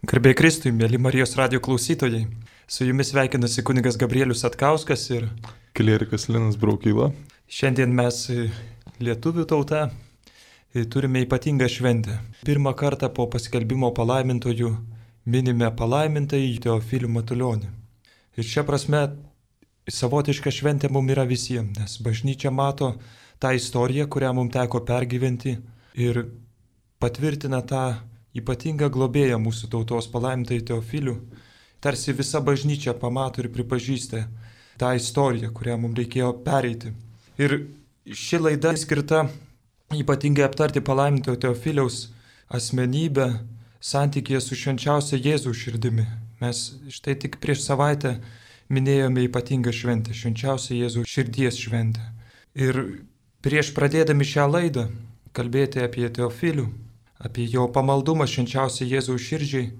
Garbė Kristui, mėly Marijos radijo klausytojai. Su jumis sveikinasi kunigas Gabrielius Satkauskas ir klierikas Linas Braukyla. Šiandien mes, lietuvių tauta, turime ypatingą šventę. Pirmą kartą po paskelbimo palaimintojų minime palaimintąjį Teofilių Matulionį. Ir šia prasme savotiška šventė mums yra visiems, nes bažnyčia mato tą istoriją, kurią mums teko pergyventi ir patvirtina tą ypatingą globėją mūsų tautos palaimintąjį Teofilių. Tarsi visa bažnyčia pamato ir pripažįsta tą istoriją, kurią mums reikėjo pereiti. Ir ši laida skirta ypatingai aptarti palaimintojo Teofiliaus asmenybę santykėje su švenčiausia Jėzaus širdimi. Mes štai tik prieš savaitę minėjome ypatingą šventę, švenčiausia Jėzaus širdies šventę. Ir prieš pradėdami šią laidą kalbėti apie Teofilių, apie jo pamaldumą švenčiausiai Jėzaus širdžiai,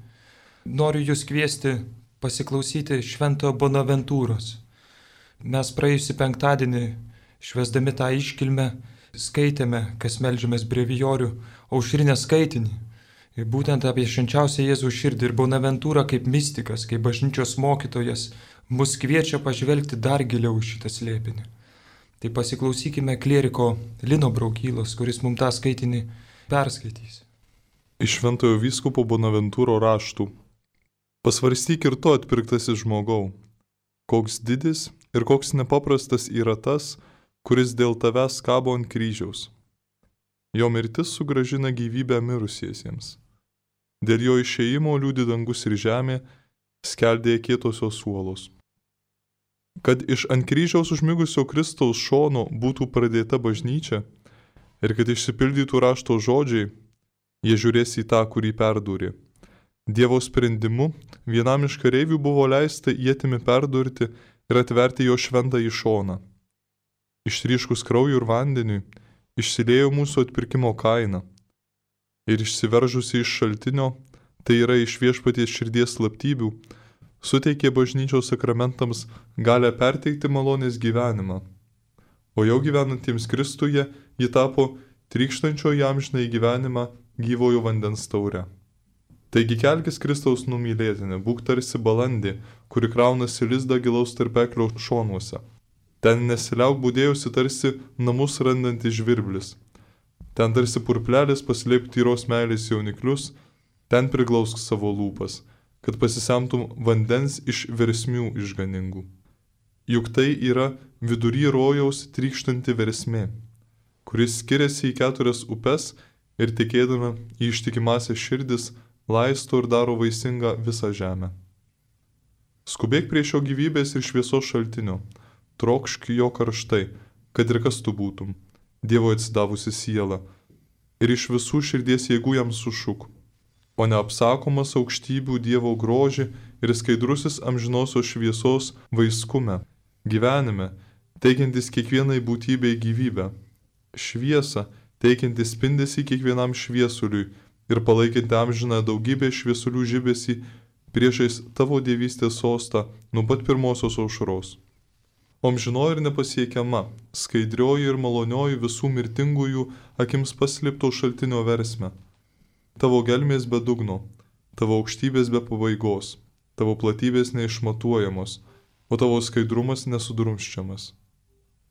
noriu jūs kviesti pasiklausyti šventojo Bonaventūros. Mes praėjusį penktadienį, švęsdami tą iškilmę, skaitėme, kas meldžiamės brevijorių, aušrinę skaitinį. Ir būtent apie švenčiausią Jėzaus širdį ir Bonaventūrą kaip mistikas, kaip bažnyčios mokytojas, mus kviečia pažvelgti dar giliau į šitą slėpinį. Tai pasiklausykime klieriko Lino Braukylos, kuris mums tą skaitinį perskaitys. Iš šventojo vyskupo Bonaventūro raštų. Pasvarstyk ir to atpirktasis žmogau, koks didis ir koks nepaprastas yra tas, kuris dėl tavęs kabo ant kryžiaus. Jo mirtis sugrąžina gyvybę mirusiesiems. Dėl jo išėjimo liūdi dangus ir žemė, skeldėja kietosios uolos. Kad iš ant kryžiaus užmigusio Kristaus šono būtų pradėta bažnyčia ir kad išsipildytų rašto žodžiai, jie žiūrės į tą, kurį perdūrė. Dievo sprendimu vienam iš kareivių buvo leista ietimi perdurti ir atverti jo šventąjį šoną. Ištryškus krauju ir vandeniui išsiliejo mūsų atpirkimo kaina. Ir išsiveržusi iš šaltinio, tai yra iš viešpaties širdies slaptybių, suteikė bažnyčios sakramentams galę perteikti malonės gyvenimą. O jau gyvenantiems Kristuje ji tapo trykštančio įamžinąjį gyvenimą gyvojo vandens taure. Taigi kelkis Kristaus numylėtinė, būk tarsi balandė, kuri kraunasi lizdą gilaus tarpeklio šonuose. Ten nesiliauk budėjusi tarsi namus randantis žvirblis. Ten tarsi purplelis paslėpk tyros meilės jauniklius, ten priglausk savo lūpas, kad pasisemtum vandens iš versmių išganingų. Juk tai yra vidury rojaus trykštanti versmė, kuris skiriasi į 4 upes ir tikėdama į ištikimąsias širdis laisto ir daro vaisingą visą žemę. Skubėk prie šio gyvybės ir šviesos šaltinio, trokšk jo karštai, kad ir kas tu būtum, Dievo atsidavusi siela, ir iš visų širdies jėgų jam sušuk, o neapsakomas aukštybių Dievo grožį ir skaidrusis amžinosios šviesos vaiskume, gyvenime, teikiantis kiekvienai būtybei gyvybę, šviesą, teikiantis spindesį kiekvienam šviesuliui ir palaikinti amžiną daugybę šviesulių žibesį priešais tavo dievystės sostą nuo pat pirmosios aušros. O amžinoji ir nepasiekiama, skaidrioji ir malonioji visų mirtingųjų akims paslėpto šaltinio versme. Tavo gelmės be dugno, tavo aukštybės be pabaigos, tavo platybės neišmatuojamos, o tavo skaidrumas nesudrumsčiamas.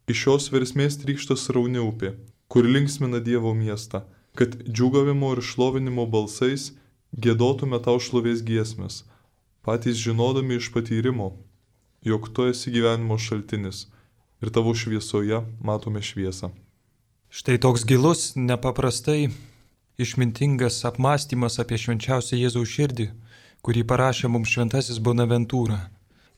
Iš šios versmės trykšta srauni upė, kur linksmina Dievo miestą, kad džiūgavimo ir šlovinimo balsais giedotume tau šlovės giesmes, patys žinodami iš patyrimo, jog tu esi gyvenimo šaltinis ir tavo šviesoje matome šviesą. Štai toks gilus, nepaprastai išmintingas apmąstymas apie švenčiausią Jėzaus širdį, kurį parašė mums šventasis Bonaventūra.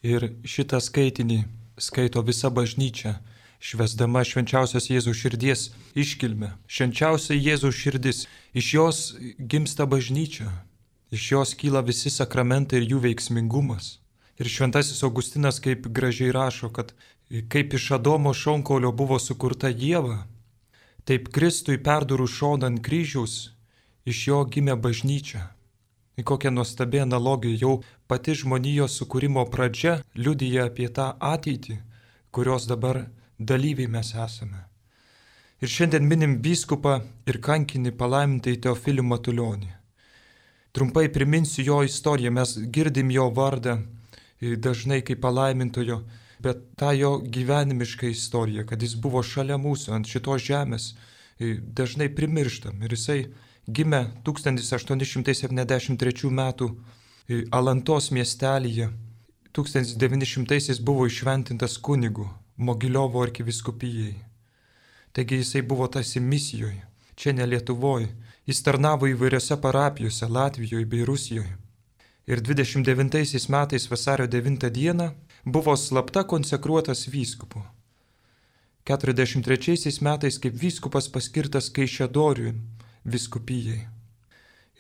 Ir šitą skaitinį skaito visa bažnyčia, švęsdama švenčiausios Jėzaus širdies iškilmę. Švenčiausia Jėzaus širdis, iš jos gimsta bažnyčia, iš jos kyla visi sakramentai ir jų veiksmingumas. Ir šventasis Augustinas kaip gražiai rašo, kad kaip iš Adomo šonkaulio buvo sukurta Ieva, taip Kristui perdurų šoną ant kryžiaus, iš jo gimė bažnyčia. Į kokią nuostabią analogiją jau pati žmonijos sukūrimo pradžia liudija apie tą ateitį, kurios dabar dalyviai mes esame. Ir šiandien minim vyskupą ir kankinį palaimintąjį Teofilių Matulionį. Trumpai priminsiu jo istoriją, mes girdim jo vardą dažnai kaip palaimintojo, bet tą jo gyvenimišką istoriją, kad jis buvo šalia mūsų ant šitos žemės, dažnai primirštam. Ir jisai gimė 1873 metų Alantos miestelyje. 1900 buvo išventintas kunigu Mogiliovo arkivyskupijai. Taigi jisai buvo tarsi misijoje, čia ne Lietuvoje. Jis tarnavo įvairiose parapijose Latvijoje bei Rusijoje. Ir 29 metais vasario 9 dieną buvo slapta konsekruotas vyskupu. 43 metais kaip vyskupas paskirtas Kaišiadorių vyskupijai.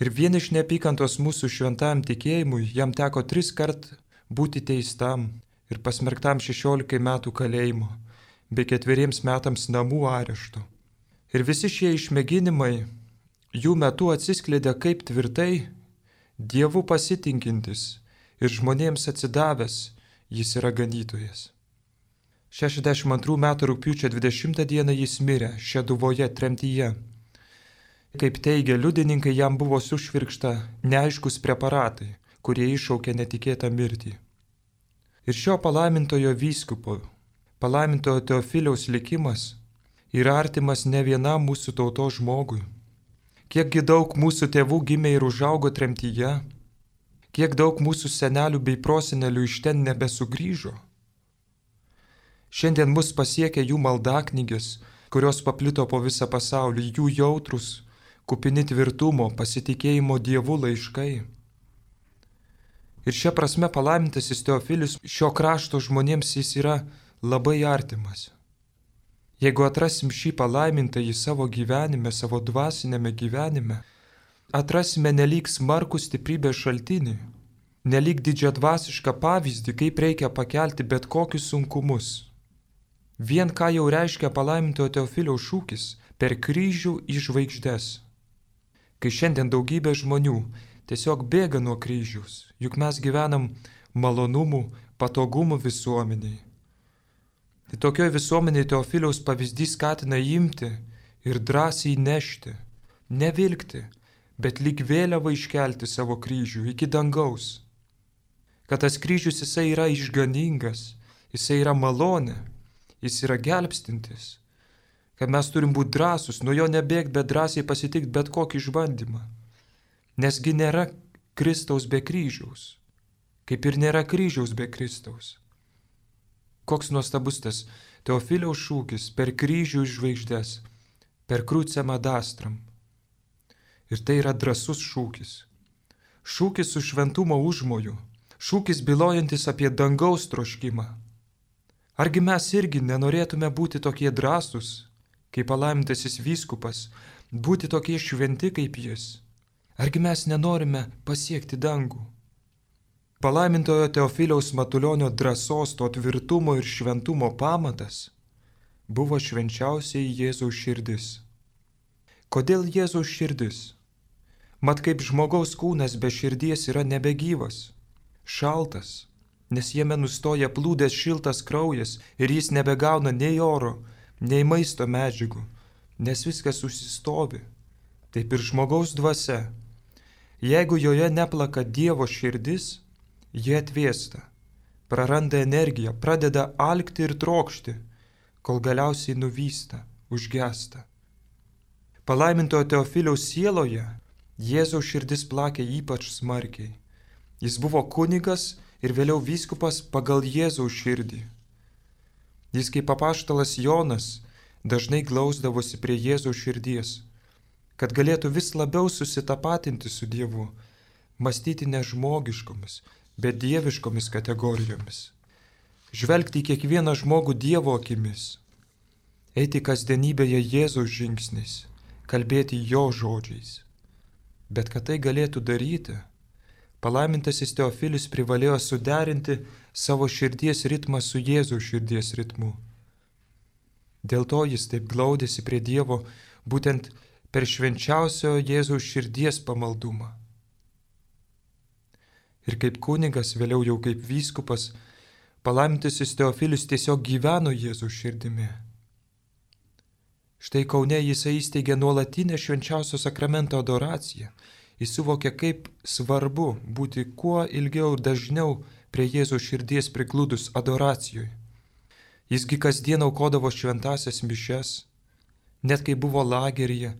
Ir vien iš neapykantos mūsų šventam tikėjimui jam teko 3 kart būti teistam ir pasmerktam 16 metų kalėjimo, bei 4 metams namų arešto. Ir visi šie išmėginimai jų metu atsiskleidė kaip tvirtai Dievu pasitinkintis ir žmonėms atsidavęs jis yra ganytojas. 62 metų rugpjūčio 20 dieną jis mirė Šeduvoje tremtyje. Kaip teigia liudininkai, jam buvo sušvirkšta neaiškus preparatai, kurie iššaukė netikėtą mirtį. Ir šio palaimintojo vyskupo, palaimintojo Teofiliaus likimas yra artimas ne vienam mūsų tautos žmogui. Kiekgi daug mūsų tėvų gimė ir užaugo tremtyje, kiek daug mūsų senelių bei prosenelių iš ten nebesugrįžo. Šiandien mus pasiekia jų maldaknygės, kurios paplito po visą pasaulį, jų jautrus, kupini tvirtumo, pasitikėjimo Dievu laiškai. Ir šia prasme palaimintasis Teofilius šio krašto žmonėms jis yra labai artimas. Jeigu atrasim šį palaimintąjį savo gyvenime, savo dvasinėme gyvenime, atrasime nelyg smarkų stiprybės šaltinį, nelyg didžiadvasišką pavyzdį, kaip reikia pakelti bet kokius sunkumus. Vien ką jau reiškia palaimintojo Teofiliaus šūkis - per kryžių į žvaigždes. Kai šiandien daugybė žmonių tiesiog bėga nuo kryžiaus, juk mes gyvenam malonumų, patogumų visuomeniai. Tai tokioje visuomenėje Teofiliaus pavyzdys skatina imti ir drąsiai nešti, nevilkti, bet lyg vėliavą iškelti savo kryžių iki dangaus. Kad tas kryžius jisai yra išganingas, jisai yra malonė, jis yra gelbstintis. Kad mes turim būti drąsus, nuo jo nebėgti, bet drąsiai pasitikti bet kokį išbandymą. Nesgi nėra Kristaus be kryžiaus, kaip ir nėra kryžiaus be Kristaus. Koks nuostabus tas Teofiliaus šūkis - per kryžių iš žvaigždės, per krucem ad astram. Ir tai yra drąsus šūkis. Šūkis su šventumo užmoju, šūkis bylojantis apie dangaus troškimą. Argi mes irgi nenorėtume būti tokie drąsūs, kaip palaimintasis vyskupas, būti tokie šventi kaip jis? Argi mes nenorime pasiekti dangų? Palaimintojo Teofiliaus Matulionio drąsos, to tvirtumo ir šventumo pamatas buvo švenčiausiai Jėzaus širdis. Kodėl Jėzaus širdis? Mat kaip žmogaus kūnas be širdies yra nebegyvas, šaltas, nes jame nustoja plūdęs šiltas kraujas ir jis nebegauna nei oro, nei maisto medžiagų, nes viskas užsistovi. Taip ir žmogaus dvasia. Jeigu joje neplaka Dievo širdis, jie atvėsta, praranda energiją, pradeda alkti ir trokšti, kol galiausiai nuvysta, užgesta. Palaimintojo Teofiliaus sieloje Jėzaus širdis plakė ypač smarkiai. Jis buvo kunigas ir vėliau vyskupas pagal Jėzaus širdį. Jis kaip apaštalas Jonas dažnai glausdavosi prie Jėzaus širdies, kad galėtų vis labiau susitapatinti su Dievu, mąstyti ne žmogiškomis, bet dieviškomis kategorijomis. Žvelgti į kiekvieną žmogų Dievo akimis, eiti kasdienybėje Jėzaus žingsniais, kalbėti jo žodžiais. Bet kad tai galėtų daryti, palaimintasis Teofilis privalėjo suderinti savo širdies ritmą su Jėzaus širdies ritmu. Dėl to jis taip glaudėsi prie Dievo būtent per švenčiausio Jėzaus širdies pamaldumą. Ir kaip kunigas, vėliau jau kaip vyskupas, palaimintasis Teofilis tiesiog gyveno Jėzaus širdimi. Štai Kaune jisai įsteigė nuolatinę švenčiausio sakramento adoraciją Jis suvokė, kaip svarbu būti kuo ilgiau ir dažniau prie Jėzaus širdies prigludus adoracijoje. Jisgi kasdien aukodavo šventasias mišias, net kai buvo lageryje,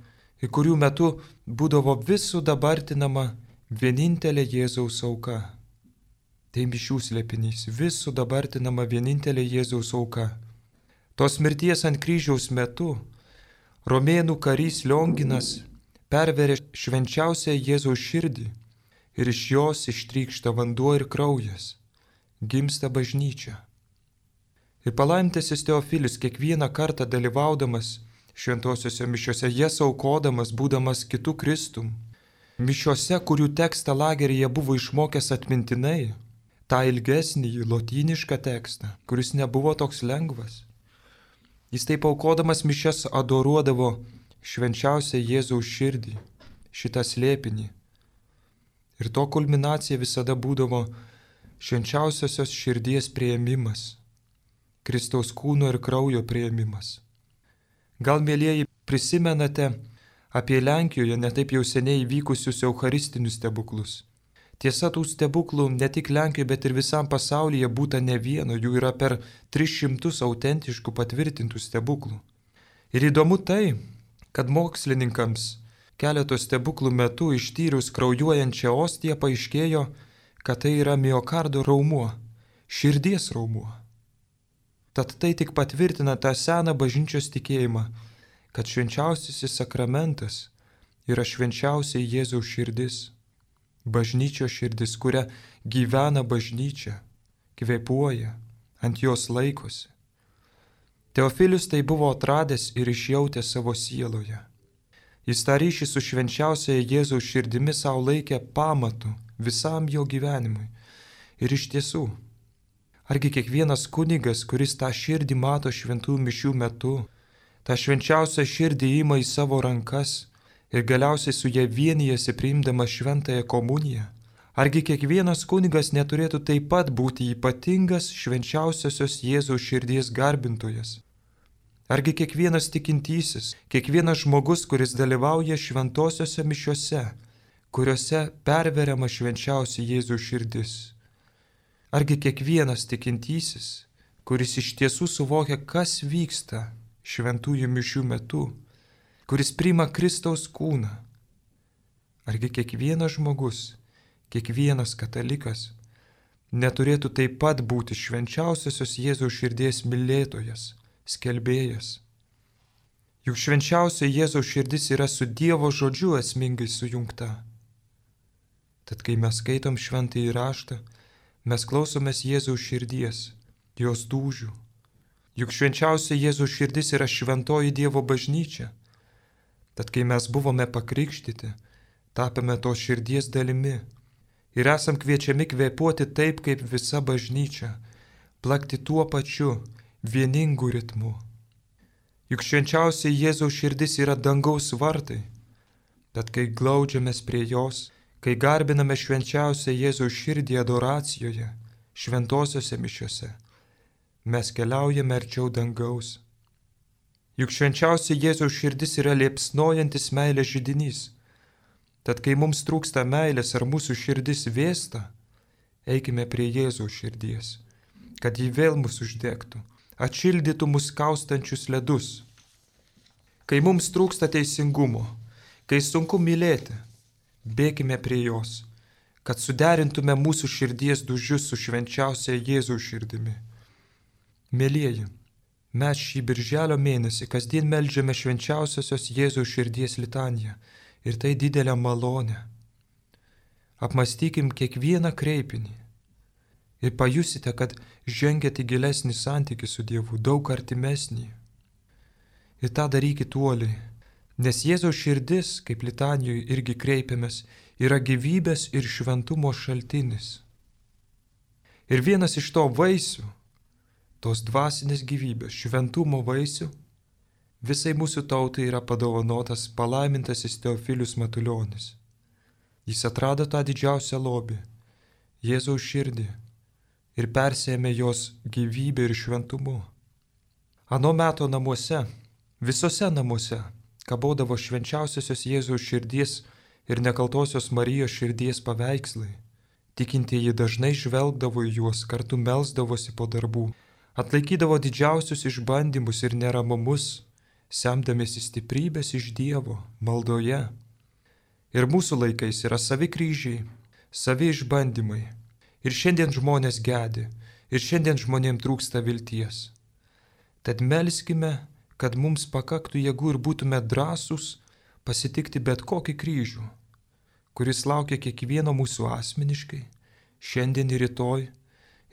į kurių metu būdavo vis sudabartinama vienintelė Jėzaus auka. Tai mišių slėpinys, vis sudabartinama vienintelė Jėzaus auka. Tos mirties ant kryžiaus metu romėnų karys Lionginas perveria švenčiausią Jėzaus širdį ir iš jos ištrykšta vanduo ir kraujas, gimsta bažnyčia. Ir palaimintasis Teofilis kiekvieną kartą dalyvaudamas šventosiuose mišiuose, jas aukodamas, būdamas kitų Kristum, mišiuose, kurių tekstą lageryje buvo išmokęs atmintinai, tą ilgesnį lotynišką tekstą, kuris nebuvo toks lengvas. Jis taip aukodamas mišias adoruodavo švenčiausią Jėzaus širdį, šitą slėpinį. Ir to kulminacija visada būdavo švenčiausiosios širdies priėmimas, Kristaus kūno ir kraujo priėmimas. Gal, mėlieji, prisimenate apie Lenkijoje netaip jau seniai įvykusius eucharistinius stebuklus. Tiesa, tų stebuklų ne tik Lenkijoje, bet ir visam pasaulyje būta ne vieno, jų yra per 300 autentiškų patvirtintų stebuklų. Ir įdomu tai, kad mokslininkams keletos stebuklų metu ištyrus kraujuojančią ostiją paaiškėjo, kad tai yra miokardo raumuo, širdies raumuo. Tad tai tik patvirtina tą seną bažnyčios tikėjimą, kad švenčiausiasis sakramentas yra švenčiausiai Jėzaus širdis, bažnyčios širdis, kuria gyvena bažnyčia, kvėpuoja, ant jos laikosi. Teofilius tai buvo atradęs ir išjautęs savo sieloje. Jis tą ryšį su švenčiausiaja Jėzaus širdimi savo laikė pamatu visam jo gyvenimui. Ir iš tiesų, argi kiekvienas kunigas, kuris tą širdį mato šventų mišių metu, tą švenčiausią širdį ima į savo rankas ir galiausiai su ja vienijasi priimdamas šventąją komuniją, argi kiekvienas kunigas neturėtų taip pat būti ypatingas švenčiausiosios Jėzaus širdies garbintojas? Argi kiekvienas tikintysis, kiekvienas žmogus, kuris dalyvauja šventosiose mišiuose, kuriuose perveriama švenčiausia Jėzaus širdis? Argi kiekvienas tikintysis, kuris iš tiesų suvokia, kas vyksta šventųjų mišių metu, kuris priima Kristaus kūną? Argi kiekvienas žmogus, kiekvienas katalikas neturėtų taip pat būti švenčiausiosios Jėzaus širdies mylėtojas, skelbėjas? Juk švenčiausia Jėzaus širdis yra su Dievo žodžiu esmingai sujungta. Tad kai mes skaitom šventąjį raštą, mes klausomės Jėzaus širdies, jos dūžių. Juk švenčiausia Jėzaus širdis yra šventoji Dievo bažnyčia. Tad kai mes buvome pakrikštyti, tapome tos širdies dalimi ir esam kviečiami kvėpuoti taip, kaip visa bažnyčia, plakti tuo pačiu vieningu ritmu. Juk švenčiausia Jėzaus širdis yra dangaus vartai. Tad kai glaudžiamės prie jos, kai garbiname švenčiausią Jėzaus širdį adoracijoje, šventosiose mišiuose, mes keliaujame arčiau dangaus. Juk švenčiausia Jėzaus širdis yra liepsnojantis meilės židinys. Tad kai mums trūksta meilės ar mūsų širdis vėsta, eikime prie Jėzaus širdies, kad ji vėl mus uždegtų, atšildytų mus kaustančius ledus. Kai mums trūksta teisingumo, kai sunku mylėti, bėkime prie jos, kad suderintume mūsų širdies dūžius su švenčiausia Jėzaus širdimi. Mėlieji, mes šį birželio mėnesį kasdien meldžiame švenčiausiosios Jėzaus širdies litaniją ir tai didelę malonę. Apmąstykim kiekvieną kreipinį ir pajusite, kad žengėte į gilesnį santykį su Dievu, daug artimesnį. Ir tą darykit uoliai. Nes Jėzaus širdis, kaip litanijoje irgi kreipiamės, yra gyvybės ir šventumo šaltinis. Ir vienas iš to vaisių, tos dvasinės gyvybės, šventumo vaisių, visai mūsų tautai yra padovanotas palaimintasis Teofilius Matulionis. Jis atrado tą didžiausią lobį, Jėzaus širdį, ir persėmė jos gyvybę ir šventumu. Ano meto namuose, visose namuose, kabodavo švenčiausiosios Jėzaus širdies ir nekaltosios Marijos širdies paveikslai. Tikintieji dažnai žvelgdavo į juos, kartu melsdavosi po darbų, atlaikydavo didžiausius išbandymus ir neramumus, semdamiesi stiprybės iš Dievo, maldoje. Ir mūsų laikais yra savi kryžiai, savi išbandymai. Ir šiandien žmonės gedi, ir šiandien žmonėms trūksta vilties. Tad melskime, kad mums pakaktų jėgų ir būtume drąsūs pasitikti bet kokį kryžių, kuris laukia kiekvieno mūsų asmeniškai, šiandien ir rytoj,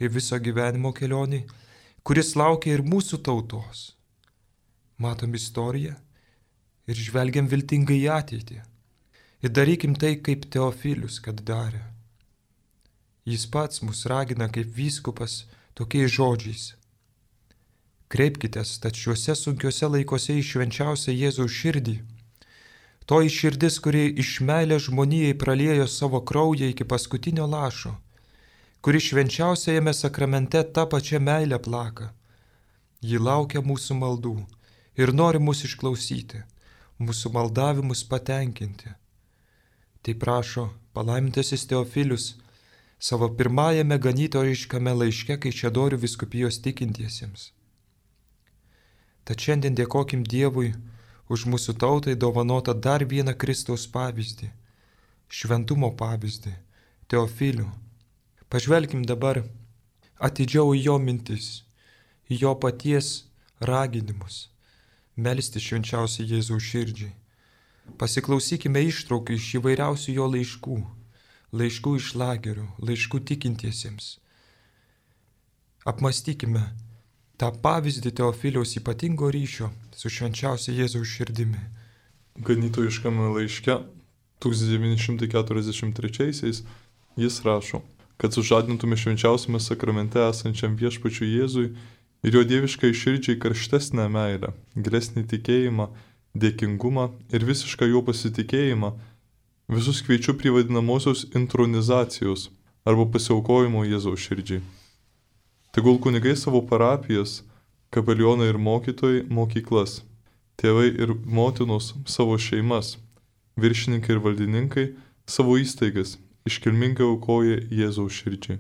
ir viso gyvenimo kelioniai, kuris laukia ir mūsų tautos. Matom istoriją ir žvelgiam viltingai į ateitį. Ir darykim tai, kaip Teofilius, kad darė. Jis pats mus ragina kaip vyskupas tokiais žodžiais. Kreipkitės tad šiuose sunkiuose laikuose į švenčiausią Jėzaus širdį. Toji širdis, kuri iš meilės žmonijai praliejo savo kraują iki paskutinio lašo, kuri švenčiausiajame sakramente tą pačią meilę plaka. Ji laukia mūsų maldų ir nori mūsų išklausyti, mūsų maldavimus patenkinti. Tai prašo palaimintasis Teofilius savo pirmajame ganytojiškame laiške Kaišiadorių vyskupijos tikintiesiems. Tad šiandien dėkokim Dievui už mūsų tautai dovanotą dar vieną Kristaus pavyzdį, šventumo pavyzdį, Teofilių. Pažvelkim dabar atidžiau į jo mintis, į jo paties raginimus, melsti švenčiausiai Jėzaus širdžiai. Pasiklausykime ištraukų iš įvairiausių jo laiškų, laiškų iš lagerių, laiškų tikintiesiems. Apmastykime tą pavyzdį Teofiliaus ypatingo ryšio su švenčiausia Jėzaus širdimi. Ganytojiškame laiške 1943 jis rašo, kad sužadintume švenčiausiame sakramente esančiam viešpačiui Jėzui ir jo dieviškai širdžiai karštesnę meilę, gilesnį tikėjimą, dėkingumą ir visišką jo pasitikėjimą, visus kviečiu prie vadinamosios intronizacijos arba pasiaukojimo Jėzaus širdžiai. Tegul kunigai savo parapijas, kapelionai ir mokytojai mokyklas, tėvai ir motinos savo šeimas, viršininkai ir valdininkai savo įstaigas iškilmingai aukoja Jėzaus širdžiai.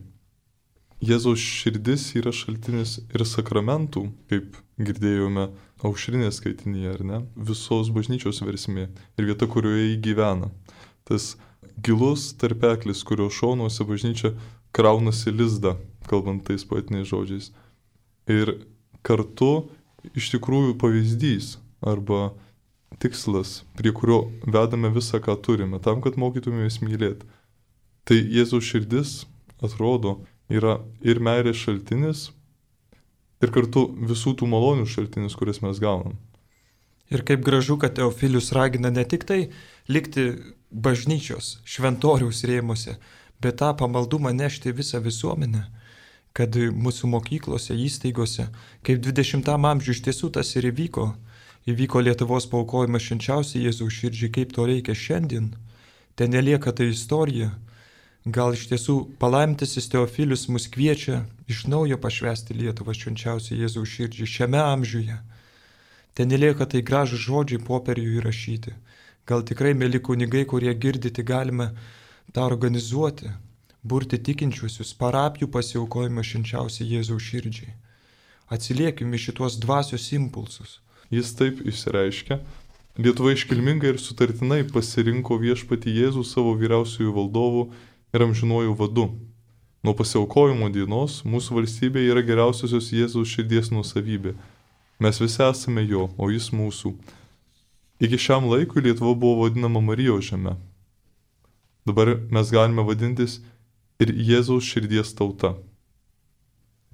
Jėzaus širdis yra šaltinis ir sakramentų, kaip girdėjome aušrinės skaitinyje, ar ne, visos bažnyčios versmė ir vieta, kurioje jį gyvena. Tas gilus tarpeklis, kurio šonuose bažnyčia kraunasi lizdą, kalbant tais poetiniais žodžiais. Ir kartu iš tikrųjų pavyzdys arba tikslas, prie kurio vedame visą, ką turime, tam, kad mokytumės mylėti. Tai Jėzaus širdis, atrodo, yra ir meilės šaltinis, ir kartu visų tų malonių šaltinis, kurias mes gaunam. Ir kaip gražu, kad Teofilius ragina ne tik tai likti bažnyčios, šventoriaus rėmuose, bet tą pamaldumą nešti visą visuomenę, kad mūsų mokyklose, įstaigose, kaip 20 amžiuje iš tiesų tas ir įvyko Lietuvos paaukojimas švenčiausiai Jėzaus širdžiai, kaip to reikia šiandien. Ten nelieka tai istorija. Gal iš tiesų palaimintasis Teofilius mus kviečia iš naujo pašvęsti Lietuvą švenčiausiai Jėzaus širdžiai šiame amžiuje. Ten nelieka tai gražūs žodžiai popieriuje įrašyti. Gal tikrai, mėly kunigai, kurie girdite, galime tą organizuoti, burti tikinčiuosius, parapijų pasiaukojimą švenčiausiai Jėzaus širdžiai. Atsiliekime šitos dvasios impulsus. Jis taip išsireiškia. Lietuva iškilmingai ir sutartinai pasirinko viešpatį Jėzų savo vyriausiųjų valdovų ir amžinuoju vadu. Nuo pasiaukojimo dienos mūsų valstybė yra geriausiosios Jėzaus širdies nuosavybė. Mes visi esame jo, o jis mūsų. Iki šiam laikui Lietuva buvo vadinama Marijos žeme. Dabar mes galime vadintis ir Jėzaus širdies tauta.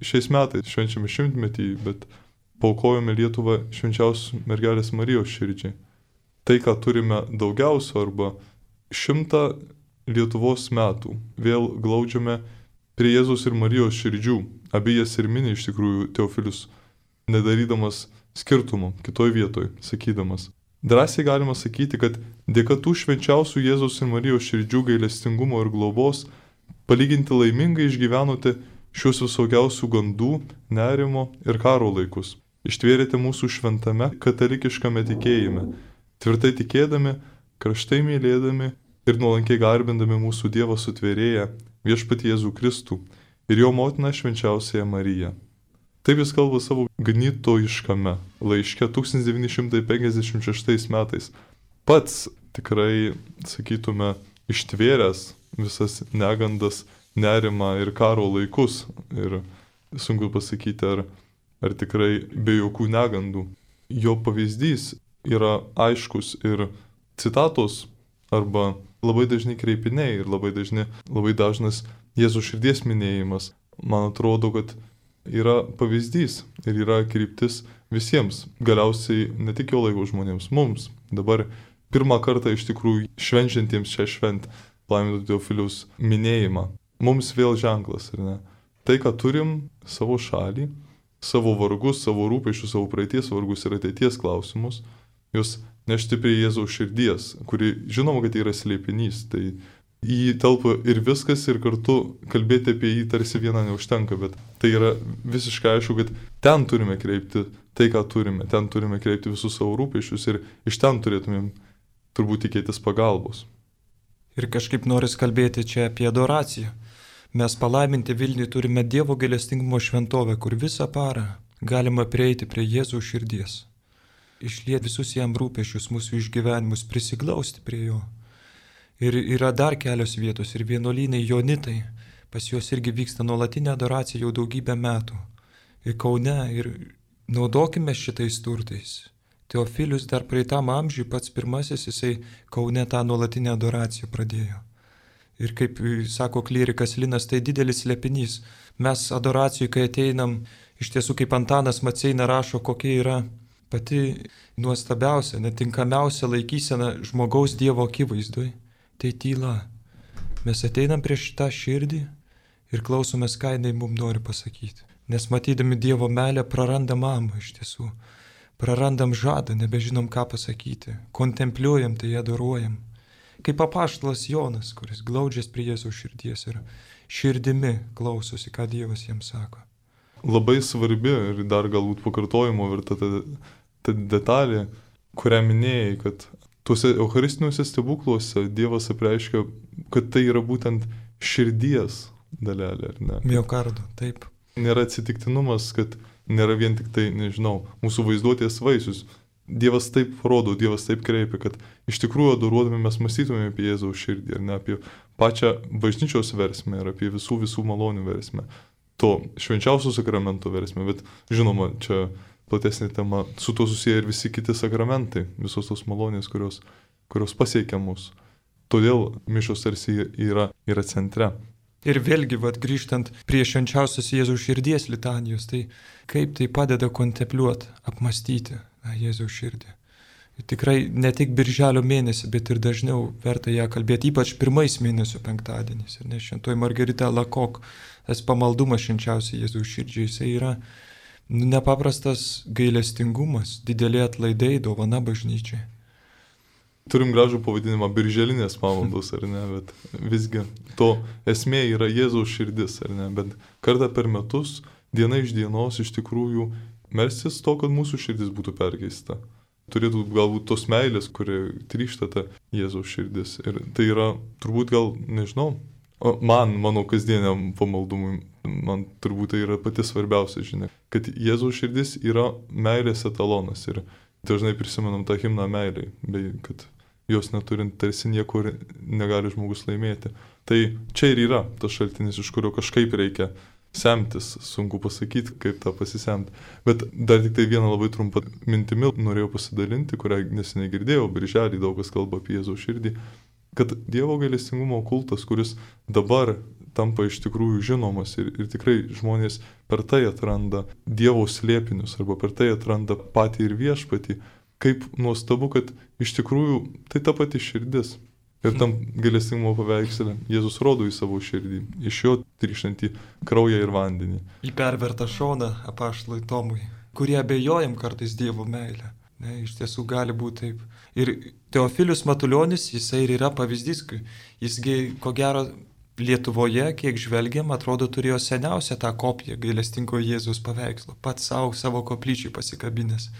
Šiais metais švenčiame 100-metį, bet paaukojame Lietuvą švenčiausios mergelės Marijos širdžiai. Tai, ką turime daugiausio arba 100 Lietuvos metų, vėl glaudžiame prie Jėzaus ir Marijos širdžių. Abi jas ir mini iš tikrųjų Teofilius, nedarydamas skirtumo kitoj vietoj, sakydamas. Drąsiai galima sakyti, kad dėka tų švenčiausių Jėzaus ir Marijos širdžių gailestingumo ir globos palyginti laimingai išgyvenote šios visokiausių gandų, nerimo ir karo laikus. Ištvėrėte mūsų šventame katalikiškame tikėjime, tvirtai tikėdami, karštai mylėdami ir nuolankiai garbindami mūsų Dievą sutvėrėją, viešpatį Jėzų Kristų ir jo motiną švenčiausiąją Mariją. Taip jis kalba savo ganytojiškame laiške 1956 metais. Pats tikrai, sakytume, ištvėręs visas negandas, nerimą ir karo laikus. Ir sunku pasakyti, ar tikrai be jokių negandų. Jo pavyzdys yra aiškus ir citatos arba labai dažni kreipiniai ir labai dažnas Jėzaus širdies minėjimas. Man atrodo, kad yra pavyzdys ir yra kryptis visiems, galiausiai ne tik jo laiko žmonėms, mums. Dabar pirmą kartą iš tikrųjų švenčiantiems šią šventę, palaiminto Teofiliaus minėjimą. Mums vėl ženklas, ar ne? Tai, ką turim savo šalį, savo vargus, savo rūpesčius, savo praeities vargus ir ateities klausimus, juos nešti prie Jėzaus širdies, kuri žinoma, kad yra slėpinys, tai į jį telpa ir viskas, ir kartu kalbėti apie jį tarsi vieną neužtenka, bet tai yra visiškai aišku, kad ten turime kreipti tai, ką turime, ten turime kreipti visus savo rūpesčius ir iš ten turėtumėm turbūt tikėtis pagalbos. Ir kažkaip noris kalbėti čia apie adoraciją. Mes palaiminti Vilniui turime Dievo gailestingumo šventovę, kur visą parą galima prieiti prie Jėzaus širdies. Išlieti visus jam rūpesčius, mūsų išgyvenimus, prisiglausti prie jo. Ir yra dar kelios vietos ir vienuolynai Jonitai, pas juos irgi vyksta nuolatinė adoracija jau daugybę metų. Ir Kaune, ir naudokime šitais turtais. Teofilius dar praeitam amžiui pats pirmasis, jisai Kaune tą nuolatinę adoraciją pradėjo. Ir kaip sako klierikas Linas, tai didelis slėpinys. Mes adoracijai, kai ateinam, iš tiesų kaip Antanas Maceina rašo, kokia yra pati nuostabiausia, netinkamiausia laikysena žmogaus Dievo akivaizdoj, tai tyla. Mes ateinam prieš šitą širdį ir klausomės, ką jinai mums nori pasakyti. Nes matydami Dievo meilę prarandam amą iš tiesų. Prarandam žadą, nebežinom, ką pasakyti. Kontempliuojam, tai adoruojam. Kaip apaštalas Jonas, kuris glaudžiasi prie Jėzaus širdies ir širdimi klausosi, ką Dievas jiems sako. Labai svarbi ir dar galbūt pakartojimo verta ta detalė, kurią minėjai, kad tuose eucharistiniuose stebukluose Dievas apreiškia, kad tai yra būtent širdies dalelė, ar ne? Miokardo, taip. Nėra atsitiktinumas, kad nėra vien tik tai, nežinau, mūsų vaizduotės vaisius. Dievas taip rodo, Dievas taip kreipia, kad iš tikrųjų adoruodami mes mąstytume apie Jėzaus širdį, ar ne apie pačią bažnyčios versmę ir apie visų malonių versmę, to švenčiausio sakramento versmę, bet žinoma, čia platesnė tema, su to susiję ir visi kiti sakramentai, visos tos malonės, kurios pasiekia mus. Todėl mišios tarsi yra centre. Ir vėlgi, grįžtant prie švenčiausios Jėzaus širdies litanijos, tai kaip tai padeda kontempliuoti, apmastyti Jėzaus širdį. Ir tikrai ne tik birželio mėnesį, bet ir dažniau verta ją kalbėti, ypač pirmais mėnesio penktadieniais. Ir nes šventoji Margarita Lakok, tas pamaldumas švenčiausiai Jėzaus širdžiai, jisai yra nepaprastas gailestingumas, dideli atlaidai, dovana bažnyčiai. Turim gražų pavadinimą birželinės pamaldos, ar ne, bet visgi to esmė yra Jėzaus širdis, ar ne, bet kartą per metus, diena iš dienos iš tikrųjų melstis to, kad mūsų širdis būtų perkeista. Turėtų galbūt tos meilės, kurie trykšta ta Jėzaus širdis. Ir tai yra turbūt gal, nežinau, mano kasdieniam pamaldumui, man turbūt tai yra pati svarbiausia žinia, kad Jėzaus širdis yra meilės etalonas ir dažnai prisimenam tą himną meiliai, bei kad jos neturint tarsi nieko negali žmogus laimėti. Tai čia ir yra tas šaltinis, iš kurio kažkaip reikia semtis, sunku pasakyti, kaip tą pasisemti. Bet dar tik tai vieną labai trumpą mintimį norėjau pasidalinti, kurią neseniai girdėjau, birželį daug kas kalba apie Jėzaus širdį, kad Dievo gailestingumo kultas, kuris dabar tampa iš tikrųjų žinomas ir tikrai žmonės per tai atranda Dievo slėpinius arba per tai atranda patį ir viešpatį, kaip nuostabu, kad iš tikrųjų tai ta pati širdis. Ir tam gailestingumo paveikslė Jėzus rodo į savo širdį, iš jo trykštantį kraują ir vandenį. Į pervertą šoną apaštalui Tomui, kurie abejojam kartais Dievo meilę. Ne, iš tiesų gali būti taip. Ir Teofilius Matulionis, jisai ir yra pavyzdys, jisgi, ko gero, Lietuvoje, kiek žvelgiam, atrodo, turėjo seniausią tą kopiją gailestingo Jėzaus paveikslo, pats savo koplyčiai pasikabinęs.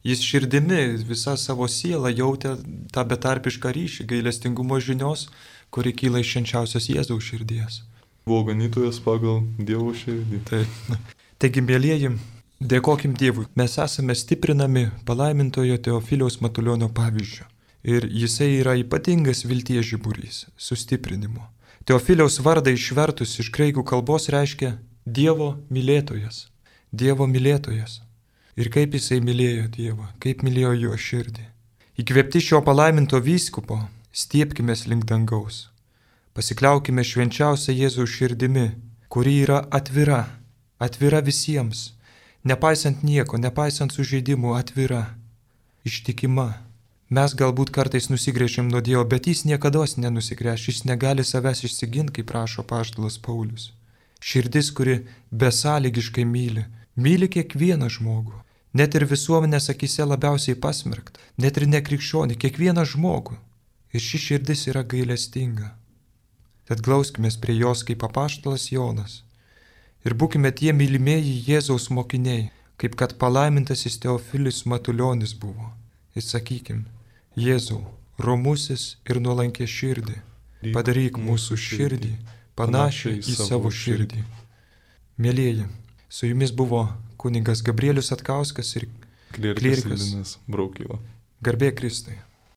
Jis širdimi visą savo sielą jautė tą betarpišką ryšį gailestingumo žinios, kuri kyla iš švenčiausios Jėzaus širdies. Buvo ganytojas pagal Dievo širdį. Taigi, mėlyjeji, dėkokim Dievui. Mes esame stiprinami palaimintojo Teofiliaus Matulionio pavyzdžiu. Ir jisai yra ypatingas vilties žiburys, sustiprinimo. Teofiliaus vardą išvertus iš graikų kalbos reiškia Dievo mylėtojas. Dievo mylėtojas. Ir kaip jisai mylėjo Dievą, kaip mylėjo jo širdį. Įkvėpti šio palaiminto vyskupo, stiepkime link dangaus. Pasikliaukime švenčiausią Jėzaus širdimi, kuri yra atvira, atvira visiems, nepaisant nieko, nepaisant sužeidimų, atvira, ištikima. Mes galbūt kartais nusigręžiam nuo Dievo, bet jis niekados nenusigręš, jis negali savęs išsiginti, kaip rašo apaštalas Paulius. Širdis, kuri besąlygiškai myli kiekvieną žmogų, net ir visuomenės akise labiausiai pasmerktą, net ir nekrikščionį, kiekvieną žmogų. Ir ši širdis yra gailestinga. Tad glauskimės prie jos kaip apaštalas Jonas. Ir būkime tie mylimieji Jėzaus mokiniai, kaip kad palaimintasis Teofilis Matulionis buvo. Ir sakykim, Jėzau, romusis ir nuolankė širdį, padaryk mūsų širdį panašią į savo širdį. Mėlyjeji, su jumis buvo kunigas Gabrielius Atkauskas ir klierikas Linas Braukyla. Garbė Kristui.